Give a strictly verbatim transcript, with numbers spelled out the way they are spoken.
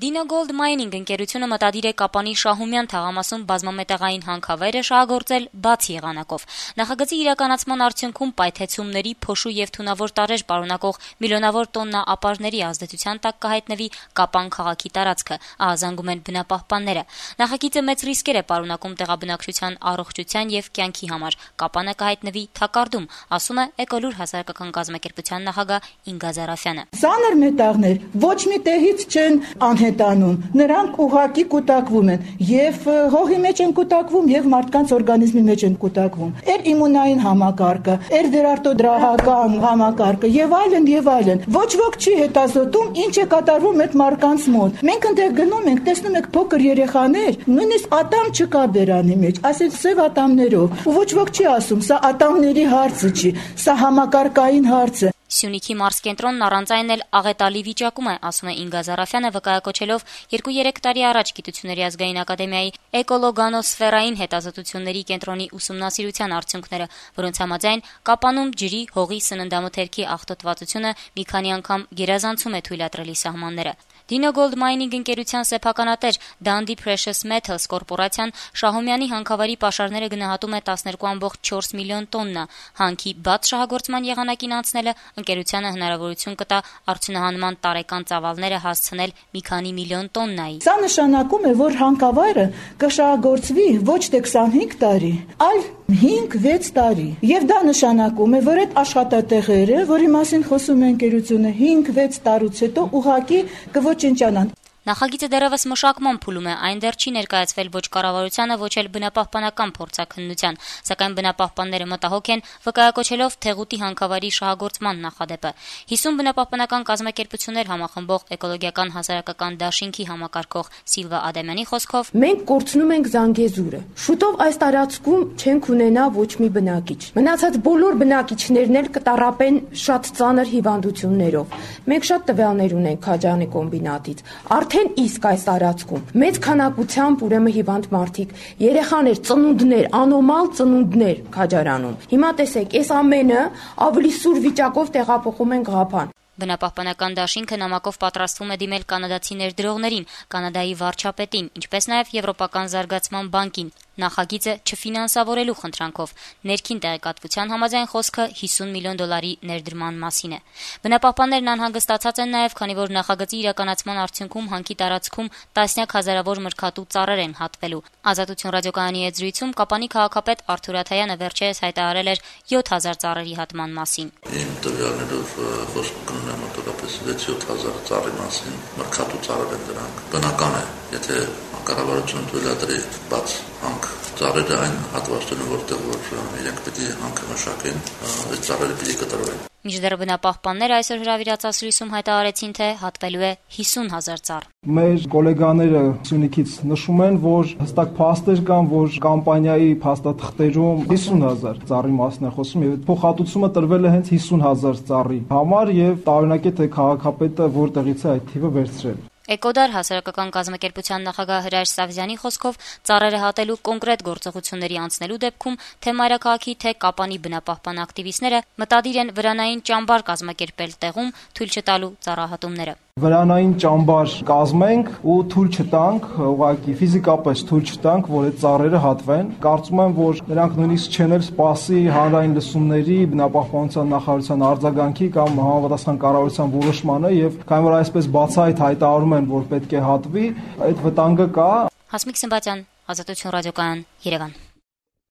Dino Gold Mining ընկերությունը մտադիր է Կապանի Շահումյան թաղամասում բազմամետաղային հանքավայրը շահագործել բաց եղանակով։ Նախագծի իրականացման արդյունքում պայթեցումների, փոշու եւ թունավոր տարրեր պարունակող միլիոնավոր տոննա ապարների ազդեցության տակ կհայտնվի Կապան քաղաքի տարածքը, ահազանգում են բնապահպանները։ Նախագիծը մեծ ռիսկեր է պարունակում տեղաբնակչության առողջության եւ կյանքի համար։ Կապանը կհայտնվի թակարդում, ասում է Էկոլուր հասարակական կազմակերպության նախագահ Ինգա Զարաֆյանը։ Ծանր մետաղներ ոչ մի տեղից չեն անհետանում, նրանք ուղղակի կուտակվում են եւ հողի մեջ են կուտակվում եւ մարդկանց օրգանիզմի մեջ են կուտակվում։ Էր իմունային համակարգը, էր վերարտադրական համակարգը եւ այլն եւ այլն։ Ոչ ոք չի հետազոտում ինչ է կատարվում այդ մարդկանց մոտ։ Մենք այնտեղ գնում ենք, տեսնում ենք փոքր երեխաներ, նույնիսկ ատամ չկա բերանի մեջ, ասել սև ատամներով։ Ու ոչ ոք չի ասում, սա ատամների հարցը չի, սա համակարգային հարց է։ Սյունիքի մարզկենտրոնն առանց այն էլ աղետալի վիճակում է, ասում է Ինգա Զարաֆյանը, վկայակոչելով երկու-երեք տարի առաջ Գիտությունների ազգային ակադեմիայի էկոլոգանոսֆերային հետազոտությունների կենտրոնի ուսումնասիրության արդյունքները, որոնց համաձայն Կապանում ջրի, հողի, սննդամթերքի աղտոտվածությունը մի քանի անգամ գերազանցում է թույլատրելի սահմանները։ Dino Gold Mining ընկերության սեփականատեր Dundee Precious Metals կորպորացիան Շահումյանի հանքավայրի պաշարները գնահատում է տասներկու կόμμα չորս միլիոն տոննա։ Հանքի բաց շահագործման եղանակին անցնելը ընկերությանը հնարավորություն կտա արդյունահանման տարեկան ծավալները հասցնել մի քանի միլիոն տոննայի։ Սա նշանակում է, որ հանքավայրը կշահագործվի ոչ թե քսանհինգ տարի, այլ հինգ-վեց տարի։ Եվ դա նշանակում է, որ այդ աշխատատեղերը, որի մասին խոսում է ընկերությունը, հինգ-վեց տարուց հետո ուղղակի կոչնչանան։ Նախագիծը դեռևս մշակման փուլում է, այն դեռ չի ներկայացվել ոչ կառավարությանը, ոչ էլ բնապահպանական փորձաքննության, սակայն բնապահպանները մտահոգ են, վկայակոչելով Թեղուտի հանքավայրի շահագործման նախադեպը։ հիսուն բնապահպանական կազմակերպություններ համախմբող էկոլոգիական հասարակական դաշինքի համակարգող Սիլվա Ադամյանի խոսքով. Մենք կորցնում ենք Զանգեզուրը։ Շուտով այս տարածքում չենք ունենա ոչ մի բնակիչ։ Մնացած բոլոր բնակիչներն էլ կտառապեն շատ ծանր հիվանդություններով։ Մենք շատ տվյալներ ունենք Քաջանի կոմբինատից։ Արդեն իսկ այս տարածքում մեծ քանակությամբ ուրեմն հիվանդ մարդիկ, երեխաներ, ծնունդներ, անոմալ ծնունդներ Քաջարանում։ Հիմա տեսեք, այս ամենը ավելի սուր վիճակով տեղափոխում են Ղափան։ Բնապահպանական դաշինքը նամակով պատրաստվում է դիմել կանադացի ներդրողներին, Կանադայի վարչապետին, ինչպես նաև Եվրոպական զարգացման բանկին, նախագիծը չֆինանսավորելու խնդրանքով։ Ներքին տեղեկատվության համաձայն խոսքը հիսուն միլիոն դոլարի ներդրման մասին է։ Բնապահպաններն անհանգստացած են նաև, քանի որ նախագծի իրականացման արդյունքում հանքի տարածքում տասնյակ հազարավոր մրգատու ծառեր են հատվելու։ Ազատություն ռադիոկայանի հետ զրույցում Կապանի քաղաքապետ Արթուր Աթայանը վերջերս հայտարարել էր յոթ հազար ծառերի հատման մասին։ Իմ տվյալներով խոսքը մոտավորապես վեց-յոթ հազար ծառի մասին, մրգատու ծառեր են դրանք։ Բնական է, եթե կառավարությունը թույլատրի բաց հանք ծառերը այն հատվածներում, որտեղ որ իրենք պետք է հանքը մշակեն, այդ ծառերը պետք է կտրվեն։ Մինչդեռ բնապահպանները այսօր հրավիրած ասուլիսում հայտարարեցին, թե հատվելու է հիսուն հազար ծառ։ Մեր գոլեգաները Սյունիքից նշում են, որ հստակ փաստեր կան, որ կամպանիայի փաստաթղթերում հիսուն հազար ծառի մասն է խոսում եւ փոխհատուցումը տրվել է հենց հիսուն հազար ծառի համար եւ տարօրինակ է թե քաղաքապետը որտեղից է այդ թիվը վերցրել։ Էկոդար հասարակական կազմակերպության նախագահ Հրայր Սավզյանի խոսքով ծառերը հատելու կոնկրետ գործողությունների անցնելու դեպքում թե մայրաքաղաքի, թե Կապանի բնապահպան ակտիվիստները մտադիր են վրանային ճամբար կազմակերպել տեղում, թույլ չտալու ծառահատումները։ Վրանային ճամբար կազմենք ու թույլ չտանք, ուղղակի ֆիզիկապես թույլ չտանք, որ այդ ծառերը հատվեն։ Կարծում եմ, որ նրանք նույնիսկ չեն էլ սպասի հանրային լսումների, բնապահպանության նախարարության արձագանքի կամ համապատասխան կառավարության որոշմանը եւ քանի որ այսպես բացահայտ հայտարարում են, որ պետք է հատվի, այդ վտանգը կա։ Հասմիկ Սմբատյան, Ազատություն ռադիոկայան, Երևան։